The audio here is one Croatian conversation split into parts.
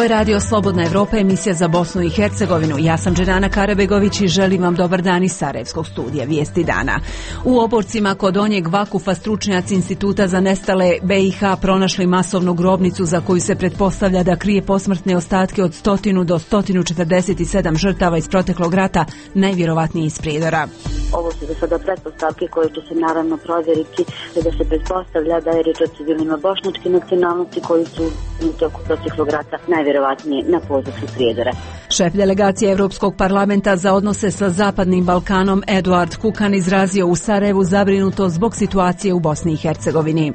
Ovo je Radio Slobodna Evropa, emisija za Bosnu i Hercegovinu. Ja sam Dženana Karabegović i želim vam dobar dan iz Sarajevskog studija Vijesti dana. U Oborcima kod Donjeg Vakufa stručnjaci Instituta za nestale BiH pronašli masovnu grobnicu za koju se pretpostavlja da krije posmrtne ostatke od 100 do 147 žrtava iz proteklog rata, najvjerovatnije iz Prijedora. Ovo su do sada pretpostavke koje će se naravno provjeriti, da se pretpostavlja da je riječ o civilima bošnjačke nacionalnosti koji su u toku proteklog rata najvjerovatnije na području Prijedora. Šef delegacije Europskog parlamenta za odnose sa Zapadnim Balkanom Eduard Kukan izrazio u Sarajevu zabrinutost zbog situacije u Bosni i Hercegovini.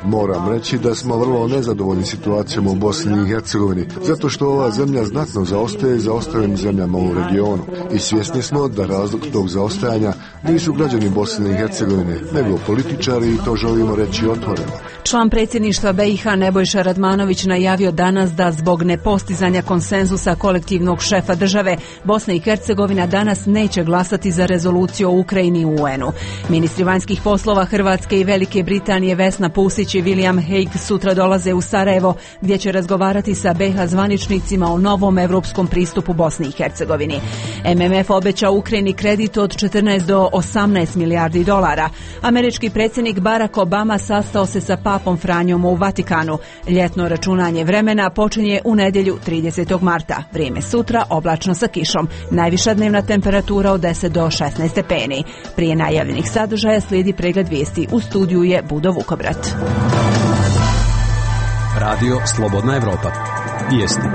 Moram reći da smo vrlo nezadovoljni situacijom u Bosni i Hercegovini, zato što ova zemlja znatno zaostaje za ostalim zemljama u regionu. I svjesni smo da razlog tog zaostajanja nisu građani Bosne i Hercegovine, nego političari, i to želimo reći otvoreno. Član predsjedništva BiH Nebojša Radmanović najavio danas da zbog nepostizanja konsenzusa kolektivnog šefa države, Bosna i Hercegovina danas neće glasati za rezoluciju o Ukrajini u UN-u. Ministri vanjskih poslova Hrvatske i Velike Britanije Vesna Pusić i William Hague sutra dolaze u Sarajevo, gdje će razgovarati sa BiH zvaničnicima o novom europskom pristupu Bosni i Hercegovini. MMF obećao Ukrajini kredit od 14 do 18 milijardi dolara. Američki predsjednik Barack Obama sastao se sa Papom Franjom u Vatikanu. Ljetno računanje vremena počinje u nedjelju 30. marta. Vrijeme sutra oblačno sa kišom. Najviša dnevna temperatura od 10 do 16 stepeni. Prije najavljenih sadržaja slijedi pregled vijesti. U studiju je Budo Vukobrat. Radio Slobodna Evropa. Vijesti.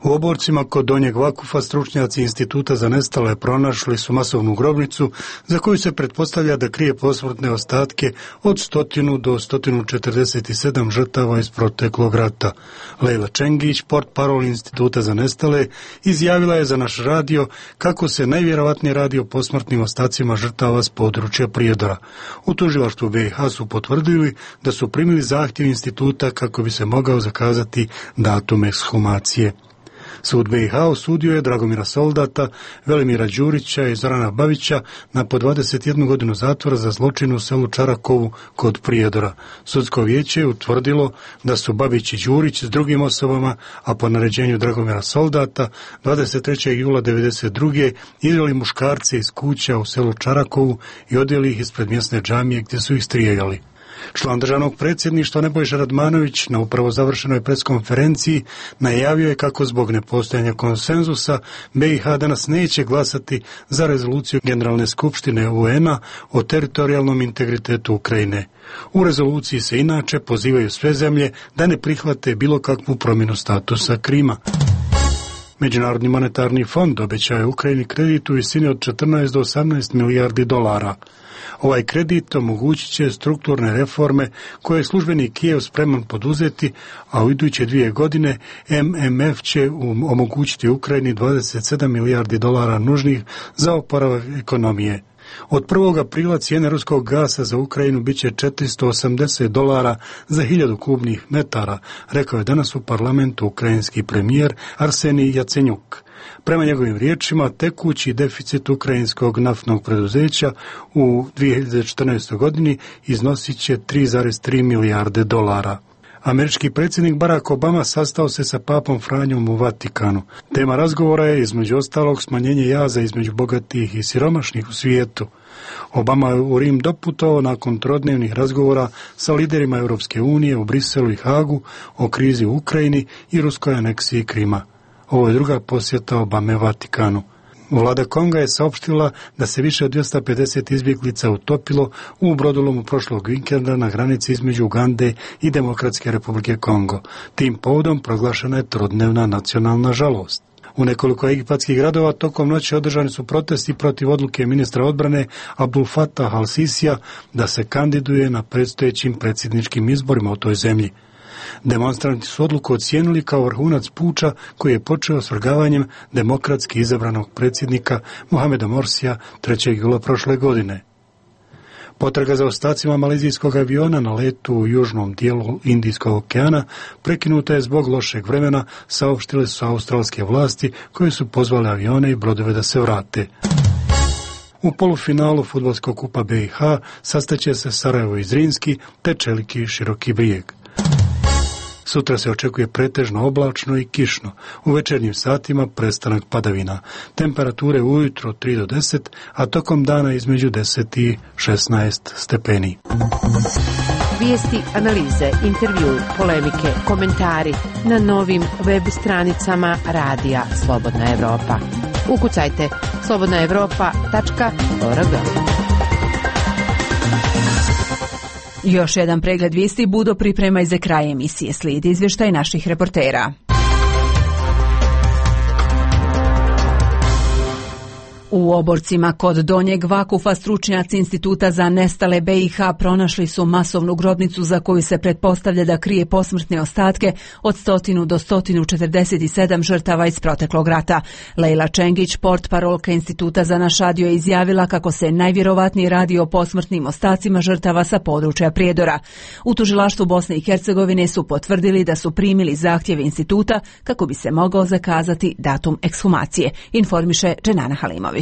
U Oborcima kod Donjeg Vakufa stručnjaci Instituta za nestale pronašli su masovnu grobnicu za koju se pretpostavlja da krije posmrtne ostatke od 100 do 147 žrtava iz proteklog rata. Lejla Čengić, portparol Instituta za nestale, izjavila je za naš radio kako se najvjerovatnije radi o posmrtnim ostacima žrtava s područja Prijedora. U tužilaštvu BiH su potvrdili da su primili zahtjev instituta kako bi se mogao zakazati datum ekshumacije. Sud BiH osudio je Dragomira Soldata, Velimira Đurića i Zorana Babića na po 21 godinu zatvora za zločin u selu Čarakovu kod Prijedora. Sudsko vijeće je utvrdilo da su Babić i Đurić s drugim osobama, a po naređenju Dragomira Soldata 23. jula 1992. izveli muškarce iz kuća u selu Čarakovu i odveli ih ispred mjesne džamije gdje su ih strijeljali. Član državnog predsjedništva Nebojša Radmanović na upravo završenoj preskonferenciji najavio je kako zbog nepostojanja konsenzusa BiH danas neće glasati za rezoluciju Generalne skupštine UN-a o teritorijalnom integritetu Ukrajine. U rezoluciji se inače pozivaju sve zemlje da ne prihvate bilo kakvu promjenu statusa Krima. Međunarodni monetarni fond obećao je Ukrajini kredit u visini od 14 do 18 milijardi dolara. Ovaj kredit omogućit će strukturne reforme koje je službeni Kijev spreman poduzeti, a u iduće 2 godine MMF će omogućiti Ukrajini 27 milijardi dolara nužnih za oporavak ekonomije. Od 1. aprila cijene ruskog gasa za Ukrajinu bit će $480 za 1000 kubnih metara, rekao je danas u parlamentu ukrajinski premijer Arsenij Jacenjuk. Prema njegovim riječima, tekući deficit ukrajinskog naftnog preduzeća u 2014. godini iznosit će 3,3 milijarde dolara. Američki predsjednik Barack Obama sastao se sa Papom Franjom u Vatikanu. Tema razgovora je između ostalog smanjenje jaza između bogatih i siromašnih u svijetu. Obama je u Rim doputovao nakon trodnevnih razgovora sa liderima Europske unije u Briselu i Hagu o krizi u Ukrajini i ruskoj aneksiji Krima. Ovo je druga posjeta Obame Vatikanu. Vlada Konga je saopštila da se više od 250 izbjeglica utopilo u brodolomu prošlog vikenda na granici između Ugande i Demokratske republike Kongo. Tim povodom proglašena je trodnevna nacionalna žalost. U nekoliko egipatskih gradova tokom noći održani su protesti protiv odluke ministra odbrane Abdul Fatah al-Sisija da se kandiduje na predstojećim predsjedničkim izborima u toj zemlji. Demonstranti su odluku ocijenili kao vrhunac puča koji je počeo svrgavanjem demokratski izabranog predsjednika Mohameda Morsija 3. jula prošle godine. Potraga za ostacima malezijskog aviona na letu u južnom dijelu Indijskog okeana prekinuta je zbog lošeg vremena, saopštile su australske vlasti koje su pozvale avione i brodove da se vrate. U polufinalu fudbalskog kupa BiH sastaće se Sarajevo i Zrinski te Čeliki i Široki Brijeg. Sutra se očekuje pretežno oblačno i kišno. U večernjim satima prestanak padavina. Temperature ujutro 3 do 10, a tokom dana između 10 i 16 stepeni. Vijesti, analize, intervju, polemike, komentari na novim web stranicama Radija Slobodna Evropa. Ukucajte slobodnaevropa.org. Još jedan pregled vijesti Budo priprema i za kraj emisije. Slijedi izvještaj naših reportera. U Oborcima kod Donjeg Vakufa stručnjaci Instituta za nestale BiH pronašli su masovnu grobnicu za koju se pretpostavlja da krije posmrtne ostatke od 100 do 147 žrtava iz proteklog rata. Lejla Čengić, portparolka Instituta za Našadio, je izjavila kako se najvjerovatnije radi o posmrtnim ostacima žrtava sa područja Prijedora. U tužilaštvu Bosne i Hercegovine su potvrdili da su primili zahtjev instituta kako bi se mogao zakazati datum ekshumacije, informiše Dženana Halimović.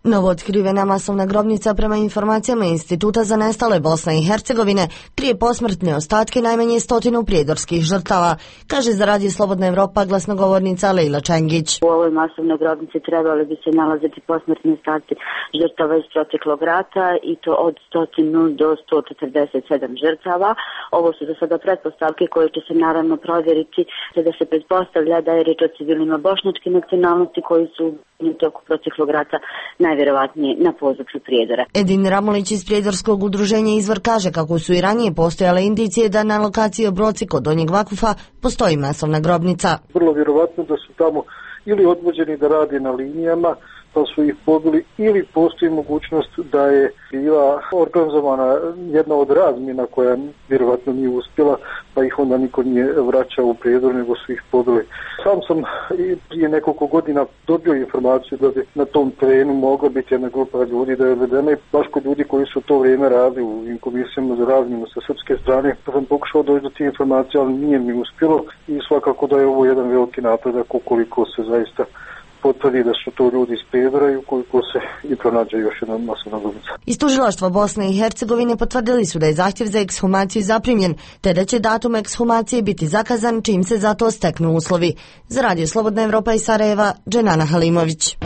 Novootkrivena masovna grobnica prema informacijama Instituta za nestale Bosne i Hercegovine krije posmrtne ostatke najmanje 100 prijedorskih žrtava, kaže za Radio Slobodna Evropa glasnogovornica Lejla Čengić. U ovoj masovnoj grobnici trebali bi se nalaziti posmrtni ostaci žrtava iz proteklog rata i to od 100 do 147 žrtava. Ovo su do sada pretpostavke koje će se naravno provjeriti, da se pretpostavlja da je riječ o civilima bošnjačke nacionalnosti koji su u toku proteklog rata najvjerovatnije na području Prijedora. Edin Ramolić iz Prijedorskog udruženja Izvor kaže kako su i ranije postojale indicije da na lokaciji Obroci kod Donjeg Vakufa postoji masovna grobnica. Vrlo vjerovatno da su tamo ili odvođeni da rade na linijama, pa su ih pobili, ili postoji mogućnost da je bila organizovana jedna od razmjena koja vjerovatno nije uspjela, pa ih onda niko nije vraćao u Prijedor, nego su ih pobili. Sam sam prije nekoliko godina dobio informaciju da bi na tom terenu mogla biti jedna grupa ljudi da je odvedena i baš kod ljudi koji su to vrijeme radili u ovim komisijama za razmjenu sa srpske strane. Pa sam pokušao doći do tih informacija, ali nije mi uspjelo i svakako da je ovo jedan veliki napredak ukoliko se zaista potvrdi da su to ljudi iz Prijedora i ukoliko se i pronađe još jedna masovna grobnica. Iz tužilaštva Bosne i Hercegovine potvrdili su da je zahtjev za ekshumaciju zaprimljen, te da će datum ekshumacije biti zakazan čim se za to steknu uslovi. Za Radio Slobodna Evropa iz Sarajeva, Dženana Halimović.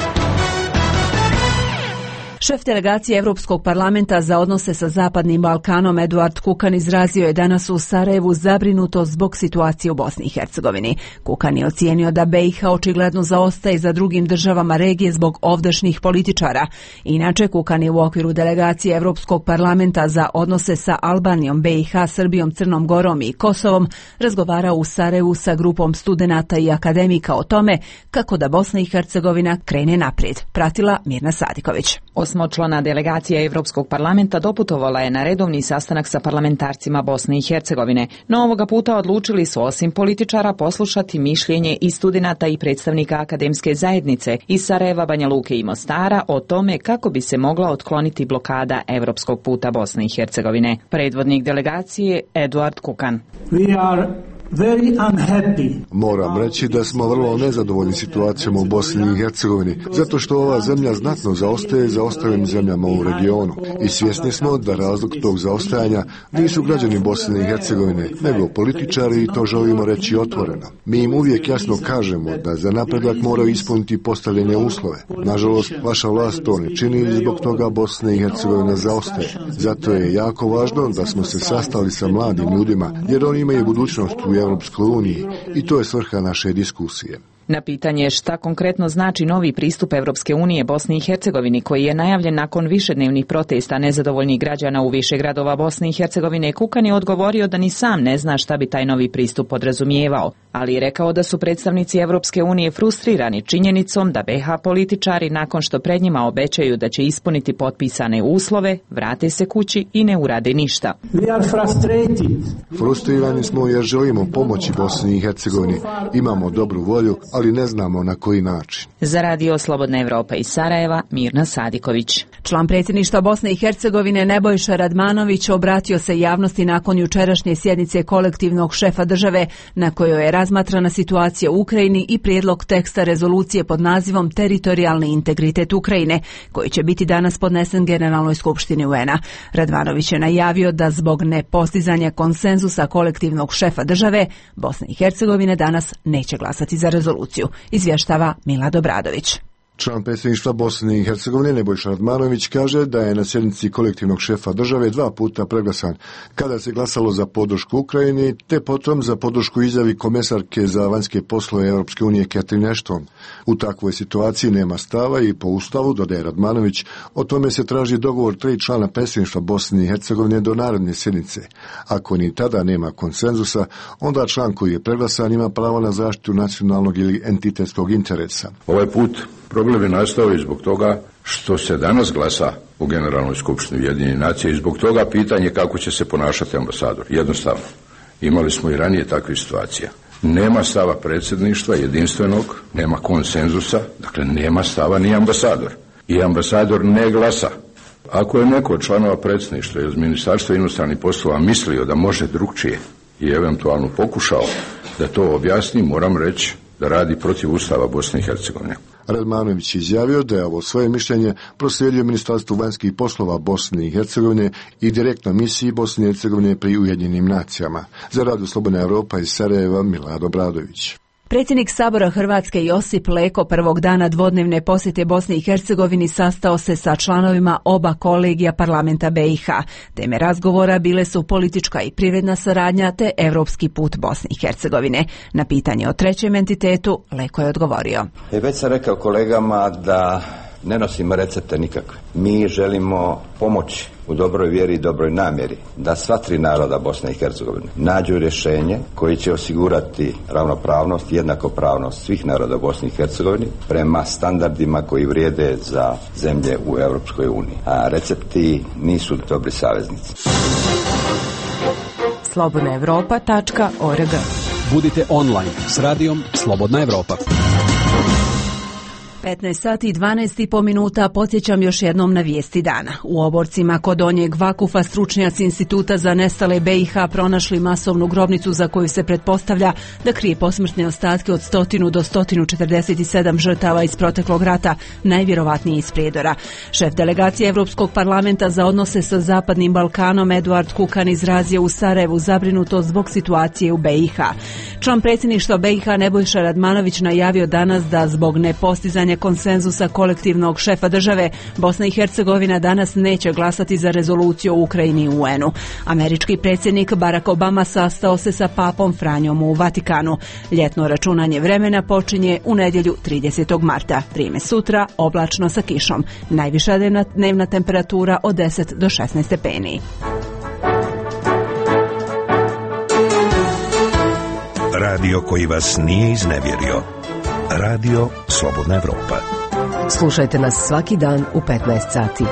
Šef delegacije Europskog parlamenta za odnose sa Zapadnim Balkanom Eduard Kukan izrazio je danas u Sarajevu zabrinutost zbog situacije u Bosni i Hercegovini. Kukan je ocijenio da BiH očigledno zaostaje za drugim državama regije zbog ovdašnjih političara. Inače, Kukan je u okviru delegacije Europskog parlamenta za odnose sa Albanijom, BiH, Srbijom, Crnom Gorom i Kosovom razgovarao u Sarajevu sa grupom studenata i akademika o tome kako da Bosna i Hercegovina krene naprijed. Pratila Mirna Sadiković. Osmočlana delegacija Europskog parlamenta doputovala je na redovni sastanak sa parlamentarcima Bosne i Hercegovine, no ovoga puta odlučili su osim političara poslušati mišljenje i studenata i predstavnika akademske zajednice iz Sarajeva, Banja Luke i Mostara o tome kako bi se mogla otkloniti blokada Europskog puta Bosne i Hercegovine. Predvodnik delegacije Eduard Kukan. Moram reći da smo vrlo nezadovoljni situacijom u Bosni i Hercegovini, zato što ova zemlja znatno zaostaje za ostalim zemljama u regionu. I svjesni smo da razlog tog zaostajanja nisu građani Bosne i Hercegovine, nego političari, i to želimo reći otvoreno. Mi im uvijek jasno kažemo da za napredak moraju ispuniti postavljene uslove. Nažalost, vaša vlast to ne čini i zbog toga Bosna i Hercegovina zaostaje. Zato je jako važno da smo se sastali sa mladim ljudima, jer oni imaju budućnost u Europskoj uniji i to je svrha naše diskusije. Na pitanje šta konkretno znači novi pristup Europske unije Bosni i Hercegovini, koji je najavljen nakon višednevnih protesta nezadovoljnih građana u više gradova Bosne i Hercegovine, Kukan je odgovorio da ni sam ne zna šta bi taj novi pristup podrazumijevao, ali je rekao da su predstavnici Europske unije frustrirani činjenicom da BiH političari nakon što pred njima obećaju da će ispuniti potpisane uslove, vrate se kući i ne urade ništa. Frustrirani smo jer želimo pomoći Bosni i Hercegovini, imamo dobru volju, ali ne znamo na koji način. Za Radio Slobodna Evropa iz Sarajeva, Mirna Sadiković. Član predsjedništva Bosne i Hercegovine Nebojša Radmanović obratio se javnosti nakon jučerašnje sjednice kolektivnog šefa države na kojoj je razmatrana situacija u Ukrajini i prijedlog teksta rezolucije pod nazivom Teritorijalni integritet Ukrajine, koji će biti danas podnesen Generalnoj skupštini UN-a. Radmanović je najavio da zbog nepostizanja konsenzusa kolektivnog šefa države Bosne i Hercegovine danas neće glasati za rezoluciju, izvještava Milad Obradović. Član predsjedništva Bosne i Hercegovine Nebojša Radmanović kaže da je na sjednici kolektivnog šefa države 2 puta preglasan, kada se glasalo za podršku Ukrajini, te potom za podršku izjavi komesarke za vanjske poslove Europske unije Catherine Ashton. U takvoj situaciji nema stava i po ustavu, dodaje Radmanović, o tome se traži dogovor 3 člana predsjedništva Bosne i Hercegovine do naredne sjednice. Ako ni tada nema konsenzusa, onda član koji je preglasan ima pravo na zaštitu nacionalnog ili entitetskog interesa. Ovaj put problem je nastao i zbog toga što se danas glasa u Generalnoj skupštini Ujedinjenih nacija i zbog toga pitanje kako će se ponašati ambasador. Jednostavno, imali smo i ranije takvih situacija. Nema stava predsjedništva jedinstvenog, nema konsenzusa, dakle nema stava ni ambasador. I ambasador ne glasa. Ako je neko od članova predsjedništva iz Ministarstva inostranih poslova mislio da može drugčije i eventualno pokušao da to objasni, moram reći da radi protiv Ustava Bosne i Hercegovine. Radmanović je izjavio da je ovo svoje mišljenje proslijedio Ministarstvu vanjskih poslova Bosne i Hercegovine i direktno misiji Bosne i Hercegovine pri Ujedinjenim nacijama. Za Radio Slobodna Evropa iz Sarajeva, Milad Obradović. Predsjednik Sabora Hrvatske Josip Leko prvog dana dvodnevne posjete Bosni i Hercegovini sastao se sa članovima oba kolegija parlamenta BiH. Teme razgovora bile su politička i privredna saradnja te europski put Bosne i Hercegovine. Na pitanje o trećem entitetu Leko je odgovorio. Već sam rekao kolegama da ne nosimo recepte nikakve. Mi želimo pomoći u dobroj vjeri i dobroj namjeri da sva 3 naroda Bosne i Hercegovine nađu rješenje koji će osigurati ravnopravnost i jednakopravnost svih naroda Bosne i Hercegovine prema standardima koji vrijede za zemlje u Europskoj uniji. A recepti nisu dobri saveznici. slobodnaevropa.org. Budite online s radijom Slobodna Evropa. 15 sati i 12,5 minuta, podsjećam još jednom na vijesti dana. U Oborcima kod Donjeg Vakufa stručnjaci Instituta za nestale BiH pronašli masovnu grobnicu za koju se pretpostavlja da krije posmrtne ostatke od 100 do 147 žrtava iz proteklog rata, najvjerovatnije iz Prijedora. Šef delegacije Europskog parlamenta za odnose sa Zapadnim Balkanom Eduard Kukan izrazio u Sarajevu zabrinutost zbog situacije u BiH. Član predsjedništva BiH Nebojša Radmanović najavio danas da zbog nepostizanja konsenzusa kolektivnog šefa države Bosna i Hercegovina danas neće glasati za rezoluciju o Ukrajini i UN-u. Američki predsjednik Barack Obama sastao se sa papom Franjom u Vatikanu. Ljetno računanje vremena počinje u nedjelju 30. marta. Vrijeme sutra oblačno sa kišom. Najviša dnevna temperatura od 10 do 16 stepeni. Radio koji vas nije iznevjerio. Radio Slobodna Evropa. Slušajte nas svaki dan u 15 sati.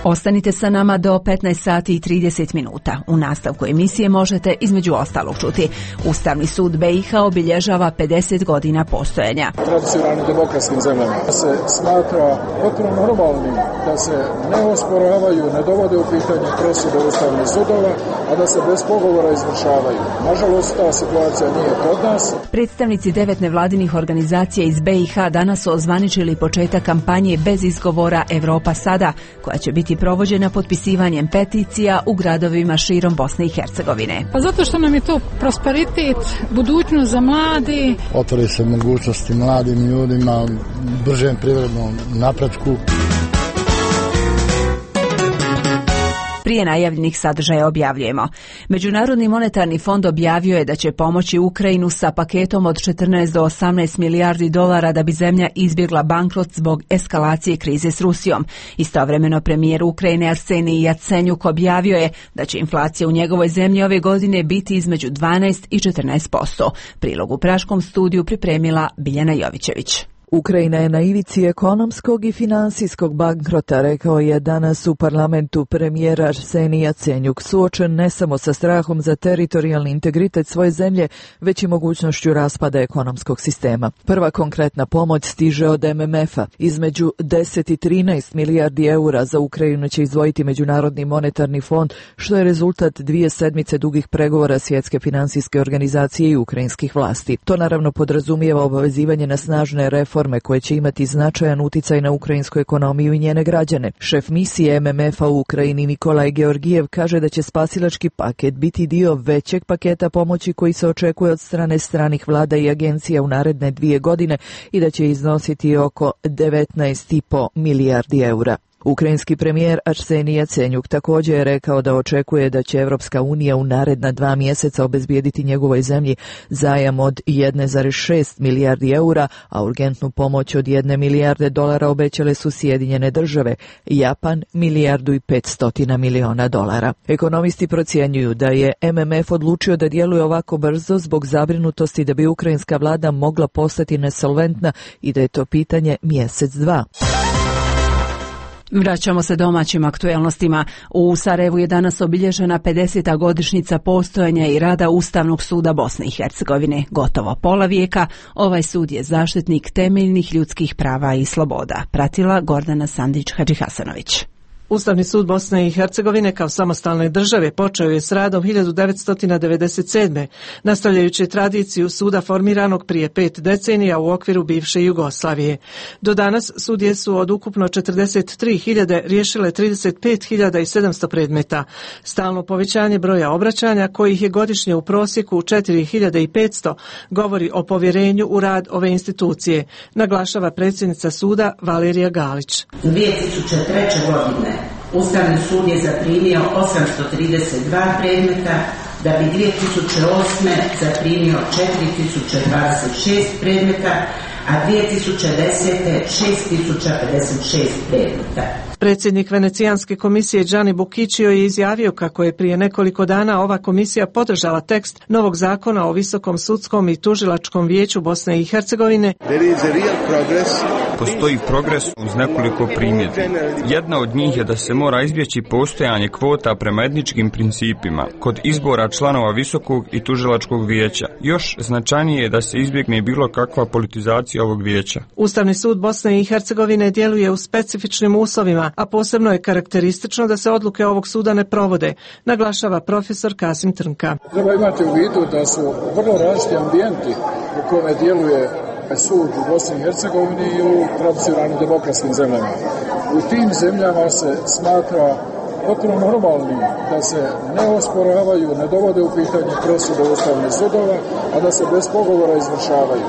Ostanite sa nama do 15 sati i 30 minuta. U nastavku emisije možete između ostalog čuti. Ustavni sud BiH obilježava 50 godina postojanja. Tradicionalnim demokratskim zemljama se smatra potpuno normalnim da se ne osporavaju, ne dovode u pitanje presude ustavnih sudova, a da se bez pogovora izvršavaju. Nažalost, ta situacija nije kod nas. Predstavnici 9 nevladinih organizacija iz BiH danas su ozvaničili početak kampanje bez izgovora Evropa sada, koja će biti provođena potpisivanjem peticija u gradovima širom Bosne i Hercegovine. Pa zato što nam je to prosperitet, budućnost za mladi. Otvori se mogućnosti mladim ljudima, bržem privrednom napretku. Prije najavljenih sadržaja objavljujemo. Međunarodni monetarni fond objavio je da će pomoći Ukrajinu sa paketom od 14 do 18 milijardi dolara da bi zemlja izbjegla bankrot zbog eskalacije krize s Rusijom. Istovremeno premijer Ukrajine Arsenij Jacenjuk objavio je da će inflacija u njegovoj zemlji ove godine biti između 12 i 14%. Prilog u praškom studiju pripremila Biljana Jovićević. Ukrajina je na ivici ekonomskog i finansijskog bankrota, rekao je danas u parlamentu premijer Arsenij Jacenjuk, suočen ne samo sa strahom za teritorijalni integritet svoje zemlje, već i mogućnošću raspada ekonomskog sistema. Prva konkretna pomoć stiže od MMF-a. Između 10 i 13 milijardi eura za Ukrajinu će izdvojiti Međunarodni monetarni fond, što je rezultat 2 sedmice dugih pregovora Svjetske finansijske organizacije i ukrajinskih vlasti. To naravno podrazumijeva obavezivanje na snažne reforme koje će imati značajan uticaj na ukrajinsku ekonomiju i njene građane. Šef misije MMF-a u Ukrajini Nikolaj Georgijev kaže da će spasilački paket biti dio većeg paketa pomoći koji se očekuje od strane stranih vlada i agencija u naredne 2 godine i da će iznositi oko 19,5 milijardi eura. Ukrajinski premijer Arsenij Jacenjuk također je rekao da očekuje da će Evropska unija u naredna 2 mjeseca obezbijediti njegovoj zemlji zajam od 1,6 milijardi eura, a urgentnu pomoć od 1 milijarde dolara obećale su Sjedinjene države, Japan 1,5 milijardi dolara. Ekonomisti procjenjuju da je MMF odlučio da djeluje ovako brzo zbog zabrinutosti da bi ukrajinska vlada mogla postati nesolventna i da je to pitanje mjesec, 2. Vraćamo se domaćim aktuelnostima. U Sarajevu je danas obilježena 50. godišnjica postojanja i rada Ustavnog suda Bosne i Hercegovine. Gotovo pola vijeka, ovaj sud je zaštitnik temeljnih ljudskih prava i sloboda. Pratila Gordana Sandić-Hadžihasanović. Ustavni sud Bosne i Hercegovine kao samostalne države počeo je s radom 1997. nastavljajući tradiciju suda formiranog prije 5 decenija u okviru bivše Jugoslavije. Do danas sudije su od ukupno 43.000 riješile 35.700 predmeta. Stalno povećanje broja obraćanja, kojih je godišnje u prosjeku 4.500, govori o povjerenju u rad ove institucije, naglašava predsjednica suda Valerija Galić. 2003. godine Ustavni sud je zaprimio 832 predmeta, da bi 2008. zaprimio 4026 predmeta, a 2010. 6056 predmeta. Predsjednik Venecijanske komisije Gianni Buciccio je izjavio kako je prije nekoliko dana ova komisija podržala tekst novog zakona o Visokom sudskom i tužilačkom vijeću Bosne i Hercegovine. Postoji progres uz nekoliko primjedbi. Jedna od njih je da se mora izbjeći postojanje kvota prema etničkim principima kod izbora članova Visokog i tužilačkog vijeća. Još značajnije je da se izbjegne bilo kakva politizacija ovog vijeća. Ustavni sud Bosne i Hercegovine djeluje u specifičnim uslovima, a posebno je karakteristično da se odluke ovog suda ne provode, naglašava profesor Kasim Trnka. Treba imati u vidu da su vrlo različiti ambijenti u kome djeluje sud u Bosni i Hercegovini i u tradicionalnim demokratskim zemljama. U tim zemljama se smatra potpuno normalnim da se ne osporavaju, ne dovode u pitanje presude ustavnih sudova, a da se bez pogovora izvršavaju.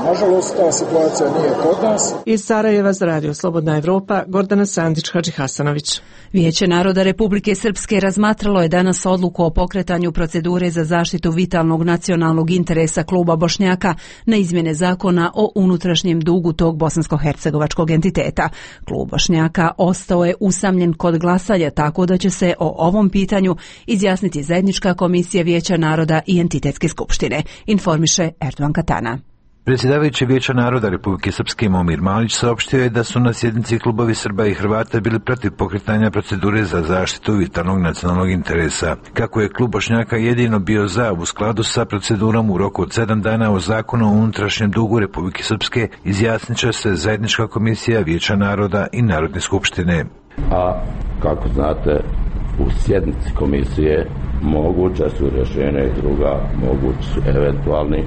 Nažalost, ta situacija nije kod nas. Iz Sarajeva za Radio Slobodna Evropa, Gordana Sandić-Hadžihasanović. Vijeće naroda Republike Srpske razmatralo je danas odluku o pokretanju procedure za zaštitu vitalnog nacionalnog interesa kluba Bošnjaka na izmjene zakona o unutrašnjem dugu tog bosansko-hercegovačkog entiteta. Klub Bošnjaka ostao je usamljen kod glasanja, tako da će se o ovom pitanju izjasniti zajednička komisija Vijeća naroda i entitetske skupštine, informiše Erdogan Katana. Predsjedavajući Vijeća naroda Republike Srpske Momir Malić saopštio je da su na sjednici klubovi Srba i Hrvata bili protiv pokretanja procedure za zaštitu vitalnog nacionalnog interesa. Kako je klub Bošnjaka jedino bio za, u skladu sa procedurom u roku od 7 dana o zakonu o unutrašnjem dugu Republike Srpske, izjasnit će se zajednička komisija Vijeća naroda i Narodne skupštine. A kako znate, u sjednici komisije moguća su rješenja i druga, mogući su eventualni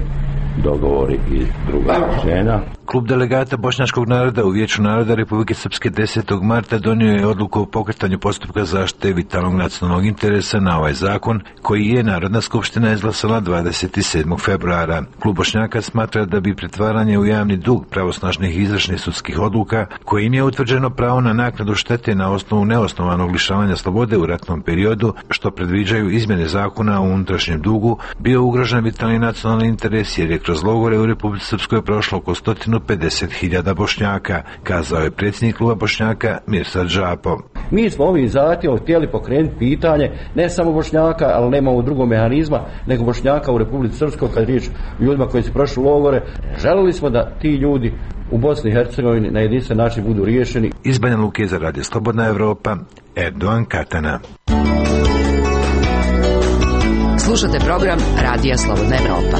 dogovori i druga rješenja. Klub delegata bošnjačkog naroda u Vijeću naroda Republike Srpske 10. marta donio je odluku o pokretanju postupka zaštite vitalnog nacionalnog interesa na ovaj zakon, koji je Narodna skupština izglasala 27. februara. Klub Bošnjaka smatra da bi pretvaranje u javni dug pravosnažnih i izvršnih sudskih odluka, kojim je utvrđeno pravo na naknadu štete na osnovu neosnovanog lišavanja slobode u ratnom periodu, što predviđaju izmjene zakona o unutrašnjem dugu, bio ugrožen vitalni nacionalni interes, jer je kroz logore u Republici Srpskoj prošlo oko 150.000 Bošnjaka, kazao je predsjednik kluba Bošnjaka Mirsad Žapo. Mi smo ovim zahtjevom htjeli pokrenuti pitanje ne samo Bošnjaka, ali nemamo drugog mehanizma, nego Bošnjaka u Republici Srpskoj, kad riječ o ljudima koji su prošli logore. Želili smo da ti ljudi u Bosni i Hercegovini na jedinstven način budu riješeni. Iz Banja Luke za Radio Slobodna Evropa, Erdogan Katana. Slušate program Radija Slobodna Evropa.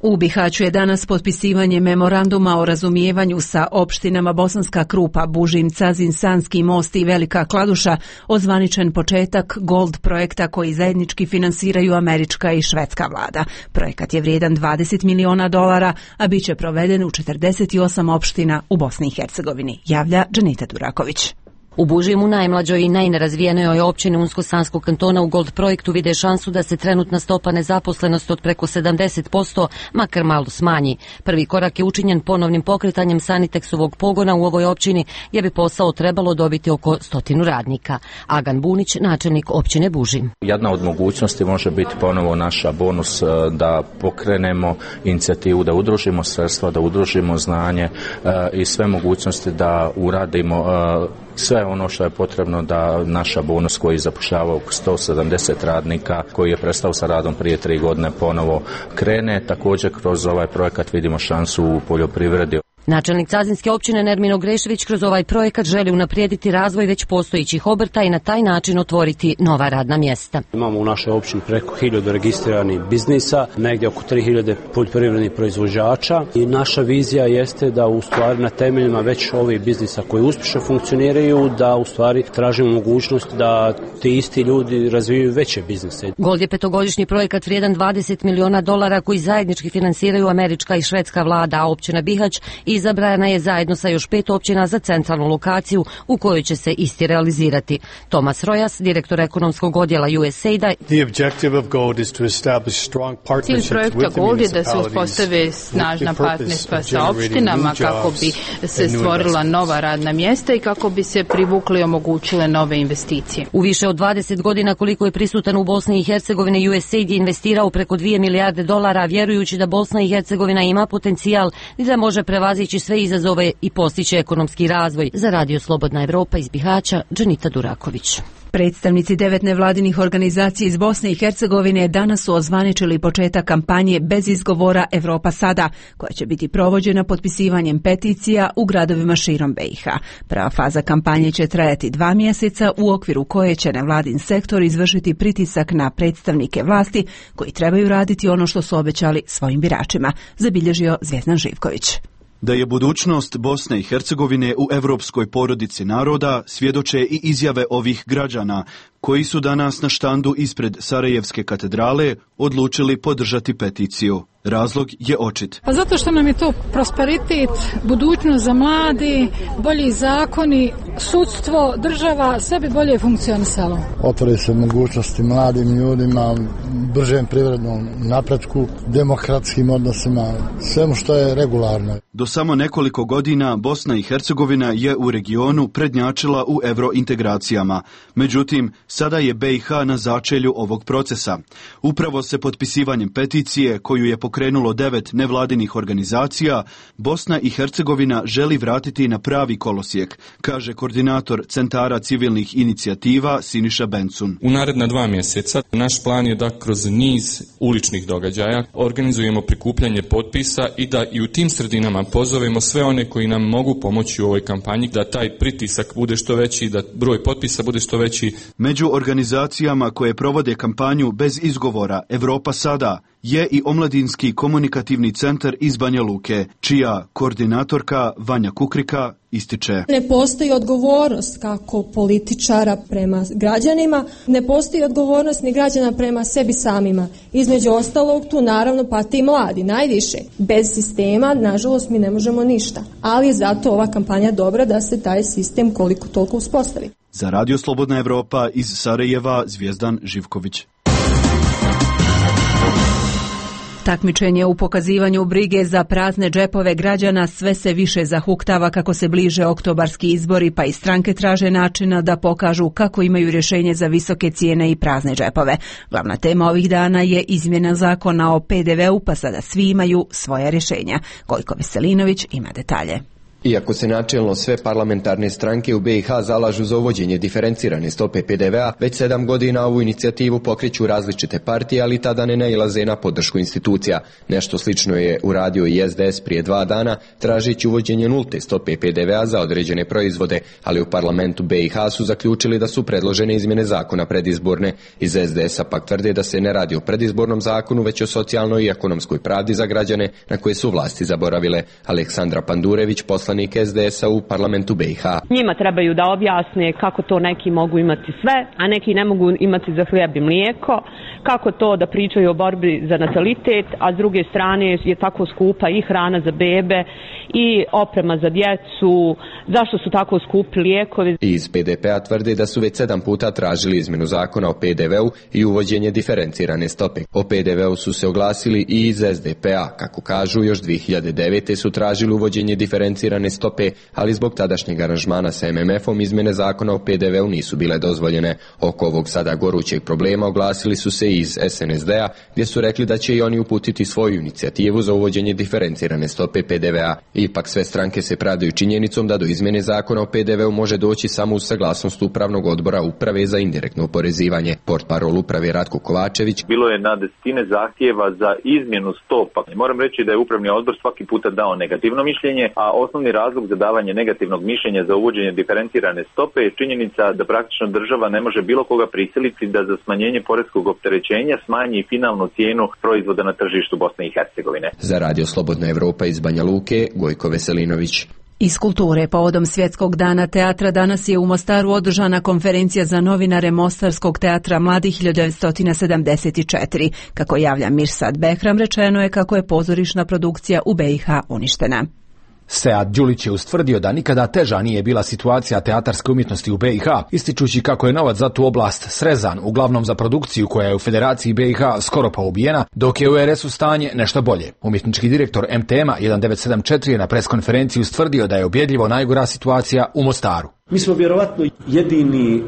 U Bihaću je danas potpisivanje memoranduma o razumijevanju sa opštinama Bosanska Krupa, Bužim, Cazin, Sanski Most i Velika Kladuša, ozvaničen početak Gold projekta koji zajednički finansiraju američka i švedska vlada. Projekat je vrijedan $20 miliona, a bit će proveden u 48 opština u Bosni i Hercegovini, javlja Dženita Duraković. U Bužimu, najmlađoj i najnerazvijenijoj općini Unsko-Sanskog kantona, u Gold projektu vide šansu da se trenutna stopa nezaposlenosti od preko 70% makar malo smanji. Prvi korak je učinjen ponovnim pokretanjem Sanitexovog pogona u ovoj općini, gdje bi posao trebalo dobiti oko 100 radnika. Agan Bunić, načelnik općine Bužim. Jedna od mogućnosti može biti ponovo naša bonus da pokrenemo inicijativu, da udružimo sredstva, da udružimo znanje i sve mogućnosti da uradimo sve ono što je potrebno da naša bonus koji zapošljava oko 170 radnika, koji je prestao sa radom prije 3 godine, ponovo krene. Također kroz ovaj projekat vidimo šansu u poljoprivredi. Načelnik Cazinske općine Nermin Grešević kroz ovaj projekat želi unaprijediti razvoj već postojećih obrta i na taj način otvoriti nova radna mjesta. Imamo u našoj općini preko 1000 registriranih biznisa, negdje oko 3000 poljoprivrednih proizvođača i naša vizija jeste da u stvari na temeljima već ovih biznisa koji uspješno funkcioniraju, da u stvari tražimo mogućnost da ti isti ljudi razvijaju veće biznise. Gold je 5-godišnji projekat vrijedan $20 miliona koji zajednički finansiraju američka i švedska vlada, a općina Bihać izabrana je zajedno sa još 5 općina za centralnu lokaciju u kojoj će se isti realizirati. Tomas Rojas, direktor ekonomskog odjela USAID-a. Cilj projekta Gold je da se uspostave snažna partnerstva sa opštinama kako bi se stvorila nova radna mjesta i kako bi se privukli i omogućile nove investicije. U više od 20 godina koliko je prisutan u Bosni i Hercegovini, USAID je investirao preko $2 milijarde, vjerujući da Bosna i Hercegovina ima potencijal i da može prevazići sve izazove i postići ekonomski razvoj. Za Radio Slobodna Evropa iz Bihaća, Dženita Duraković. Predstavnici 9 nevladinih organizacija iz Bosne i Hercegovine danas su ozvaničili početak kampanje bez izgovora Evropa sada, koja će biti provođena potpisivanjem peticija u gradovima širom BiH. Prva faza kampanje će trajati 2 mjeseca, u okviru koje će nevladin sektor izvršiti pritisak na predstavnike vlasti koji trebaju raditi ono što su obećali svojim biračima, zabilježio Zvjezdan Živković. Da je budućnost Bosne i Hercegovine u europskoj porodici naroda svjedoče i izjave ovih građana koji su danas na štandu ispred Sarajevske katedrale odlučili podržati peticiju. Razlog je očit. Pa zato što nam je to prosperitet, budućnost za mladi, bolji zakoni, sudstvo, država, sve bi bolje funkcionisalo. Otvore se mogućnosti mladim ljudima, bržem privrednom napretku, demokratskim odnosima, svemu što je regularno. Do samo nekoliko godina Bosna i Hercegovina je u regionu prednjačila u eurointegracijama. Međutim, sada je BiH na začelju ovog procesa. Upravo se potpisivanjem peticije koju je pokrenulo 9 nevladinih organizacija, Bosna i Hercegovina želi vratiti na pravi kolosijek, kaže koordinator Centara civilnih inicijativa Siniša Bencun. U naredna 2 mjeseca naš plan je da kroz niz uličnih događaja organizujemo prikupljanje potpisa i da i u tim sredinama pozovemo sve one koji nam mogu pomoći u ovoj kampanji, da taj pritisak bude što veći, da broj potpisa bude što veći. Među organizacijama koje provode kampanju bez izgovora Evropa sada je i Omladinski komunikativni centar iz Banja Luke, čija koordinatorka Vanja Kukrika ističe. Ne postoji odgovornost kako političara prema građanima, ne postoji odgovornost ni građana prema sebi samima. Između ostalog tu naravno pati i mladi, najviše. Bez sistema, nažalost, mi ne možemo ništa. Ali je zato ova kampanja dobra da se taj sistem koliko toliko uspostavi. Za Radio Slobodna Evropa iz Sarajeva, Zvjezdan Živković. Takmičenje u pokazivanju brige za prazne džepove građana sve se više zahuktava kako se bliže oktobarski izbori, pa i stranke traže načina da pokažu kako imaju rješenje za visoke cijene i prazne džepove. Glavna tema ovih dana je izmjena zakona o PDV-u, pa sada svi imaju svoja rješenja. Gojko Veselinović ima detalje. Iako se načelno sve parlamentarne stranke u BiH zalažu za uvođenje diferencirane stope PDV-a, već 7 godina ovu inicijativu pokreću različite partije, ali tada ne nailaze na podršku institucija. Nešto slično je uradio i SDS prije 2 dana, tražići uvođenje nulte stope PDV-a za određene proizvode, ali u parlamentu BiH su zaključili da su predložene izmjene zakona predizborne. Iz SDS-a pak tvrde da se ne radi o predizbornom zakonu, već o socijalnoj i ekonomskoj pravdi za građane na koje su vlasti zaboravile. Aleksandra Pandurević, poslanik SDS-a u parlamentu BiH. Njima trebaju da objasne kako to neki mogu imati sve, a neki ne mogu imati za hljeb i mlijeko, kako to da pričaju o borbi za natalitet, a s druge strane je tako skupa i hrana za bebe i oprema za djecu, zašto su tako skupi lijekovi. Iz PDP-a tvrde da su već 7 puta tražili izmjenu zakona o PDV-u i uvođenje diferencirane stope. O PDV-u su se oglasili i iz SDP-a, kako kažu, još 2009. su tražili uvođenje diferencirane stope, ali zbog tadašnjeg aranžmana sa MMF-om izmjene zakona o PDV-u nisu bile dozvoljene. Oko ovog sada gorućeg problema oglasili su se iz SNSD-a, gdje su rekli da će i oni uputiti svoju inicijativu za uvođenje diferencirane stope PDV-a. Ipak sve stranke se pravdaju činjenicom da do izmjene zakona o PDV-u može doći samo uz saglasnost Upravnog odbora Uprave za indirektno oporezivanje. Portparol Uprave Ratko Kovačević: bilo je na desetine zahtjeva za izmjenu stopa. Moram reći da je Upravni odbor svaki puta dao negativno mišljenje, a osnovni razlog za davanje negativnog mišljenja za uvođenje diferencirane stope je činjenica da praktično država ne može bilo koga prisiliti da za smanjenje poreskog opterećenja smanji finalnu cijenu proizvoda na tržištu Bosne i Hercegovine. Za Radio Slobodna Evropa iz Banja Luke, Gojko Veselinović. Iz kulture, povodom Svjetskog dana teatra, danas je u Mostaru održana konferencija za novinare Mostarskog teatra mladih 1974. Kako javlja Mirsad Behram, rečeno je kako je pozorišna produkcija u BiH uništena. Sead Đulić je ustvrdio da nikada teža nije bila situacija teatarske umjetnosti u BiH, ističući kako je novac za tu oblast srezan, uglavnom za produkciju koja je u Federaciji BiH skoro pa ubijena, dok je u RS-u stanje nešto bolje. Umjetnički direktor MTM-a 1974 je na preskonferenciji ustvrdio da je objedljivo najgora situacija u Mostaru. Mi smo vjerovatno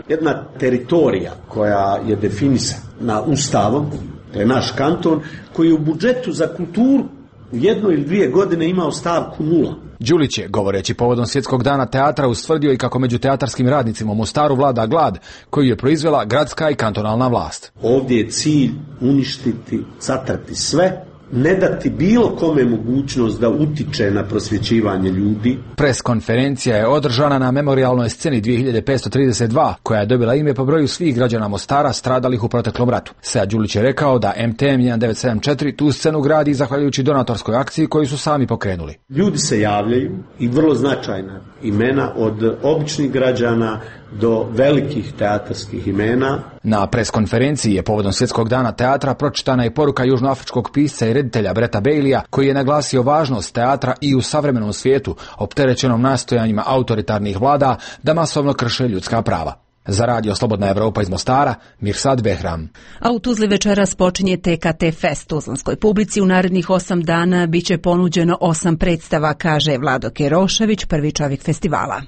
jedna teritorija koja je definisana Ustavom, to je naš kanton, koji u budžetu za kulturu u 1 ili 2 godine imao stavku 0. Đulić je, govoreći povodom Svjetskog dana teatra, ustvrdio i kako među teatarskim radnicima u Mostaru vlada glad koju je proizvela gradska i kantonalna vlast. Ovdje je cilj uništiti, zatrti sve, ne dati bilo kome mogućnost da utiče na prosvjećivanje ljudi. Preskonferencija je održana na memorijalnoj sceni 2532, koja je dobila ime po broju svih građana Mostara stradalih u proteklom ratu. Sead Đulić je rekao da MTM 1974 tu scenu gradi zahvaljujući donatorskoj akciji koju su sami pokrenuli. Ljudi se javljaju i vrlo značajna imena, od običnih građana do velikih teatarskih imena. Na preskonferenciji je povodom Svjetskog dana teatra pročitana i poruka južnoafričkog pisca i reditelja Breta Baileya, koji je naglasio važnost teatra i u savremenom svijetu, opterećenom nastojanjima autoritarnih vlada da masovno krše ljudska prava. Za Radio Slobodna Evropa iz Mostara, Mirsad Behram. A u Tuzli večeras počinje TKT Fest. Tuzlanskoj publici u narednih 8 dana biće ponuđeno 8 predstava, kaže Vlado Kerošević, prvi čovjek festivala.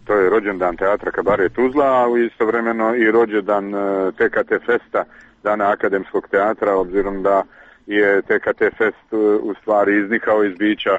To je rođendan teatra Kabaret Tuzla, a istovremeno i rođendan TKT Festa, Dana akademskog teatra, obzirom da je TKT Fest u stvari iznikao iz bića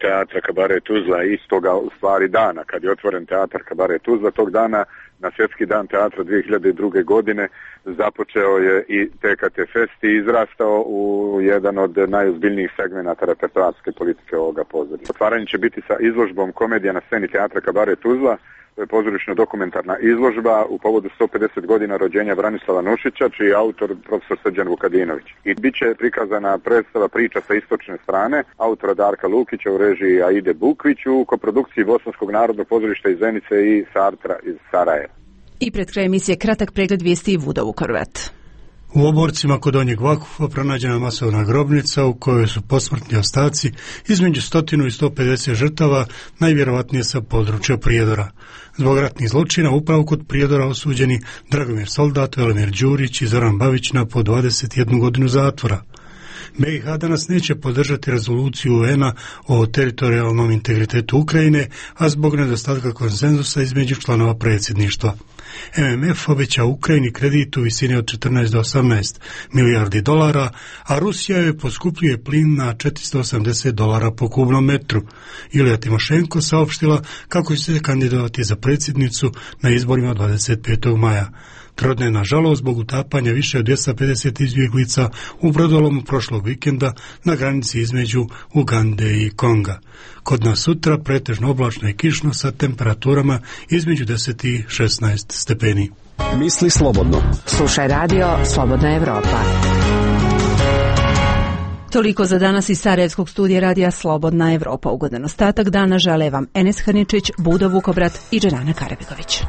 teatra Kabaret Tuzla, istoga u stvari dana kad je otvoren teatar Kabaret Tuzla. Tog dana na Svjetski dan teatra 2002. godine započeo je i TKT Fest i izrastao u jedan od najozbiljnijih segmenata repertoarske politike ovoga pozorišta. Otvaranje će biti sa izložbom Komedija na sceni teatra Kabaret Tuzla. To je pozorišno-dokumentarna izložba u povodu 150 godina rođenja Branislava Nušića, čiji je autor profesor Srđan Vukadinović. I bit će prikazana predstava Priča sa istočne strane, autora Darka Lukića u režiji Aide Bukvić u koprodukciji Bosanskog narodnog pozorišta iz Zenice i Sartra iz Sarajeva. I pred kraj emisije kratak pregled vijesti i Vuda Vukorvet. U Oborcima kod Donjeg Vakufa pronađena masovna grobnica u kojoj su posmrtni ostaci između 100 i 150 žrtava, najvjerovatnije sa područja Prijedora. Zbog ratnih zločina upravo kod Prijedora osuđeni Dragomir Soldat, Velimir Đurić i Zoran Bavić na po 21 godinu zatvora. BiH danas neće podržati rezoluciju UN-a o teritorijalnom integritetu Ukrajine, a zbog nedostatka konsenzusa između članova predsjedništva. MMF obeća Ukrajini kredit u visini od 14 do 18 milijardi dolara, a Rusija joj poskupljuje plin na $480 po kubnom metru. Julija Timošenko saopštila kako će se kandidovati za predsjednicu na izborima 25. maja. Trodnevna žalost zbog utapanja više od 250 izbjeglica u brodolomu prošlog vikenda na granici između Ugande i Konga. Kod nas sutra pretežno oblačno i kišno sa temperaturama između 10 i 16 stepeni. Misli slobodno. Slušaj radio Slobodna Evropa. Toliko za danas iz Sarajevskog studija radija Slobodna Evropa. Ugodan ostatak dana žele vam Enes Hrničić, Budo Vukobrat i Dženana Karabegović.